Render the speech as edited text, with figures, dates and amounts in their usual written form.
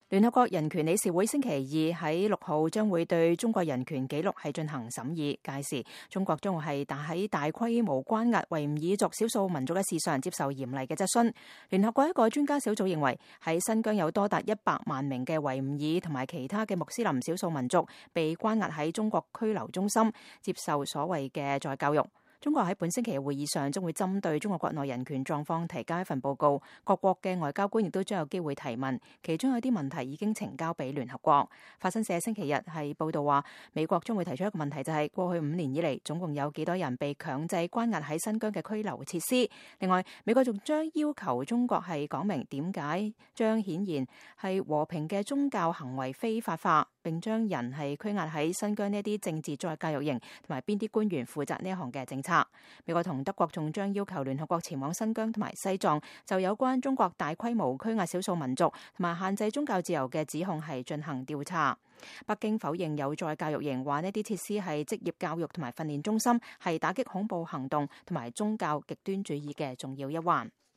聯合國人權理事會星期二喺6號將會對中國人權紀錄係進行審議，屆時中國將會係喺大規模關押維吾爾族少數民族嘅事上接受嚴厲嘅質詢。聯合國一個專家小組認為，喺新疆有多達100萬名嘅維吾爾同埋其他嘅穆斯林少數民族被關押喺中國拘留中心，接受所謂嘅再教育。中國喺本星期嘅會議上將會針對中國國內人權狀況提交一份報告，各國嘅外交官亦都將有機會提問，其中有啲問題已經呈交俾聯合國。法新社星期日係報道話，美國將會提出一個問題，就係過去5年以嚟總共有幾多人被強制關押喺新疆嘅拘留設施。另外，美國仲將要求中國係講明點解將顯然係和平嘅宗教行為非法化，並將人係拘押喺新疆呢一啲政治再教育營，同埋邊啲官員負責呢一項嘅政策。美國同德國仲將要求聯合國前往新疆同埋西藏，就有關中國大規模拘押少數民族同埋限制宗教自由嘅指控係進行調查。北京否認有再教育營，話呢啲設施係職業教育同埋訓練中心，係打擊恐怖行動同埋宗教極端主義嘅重要一環。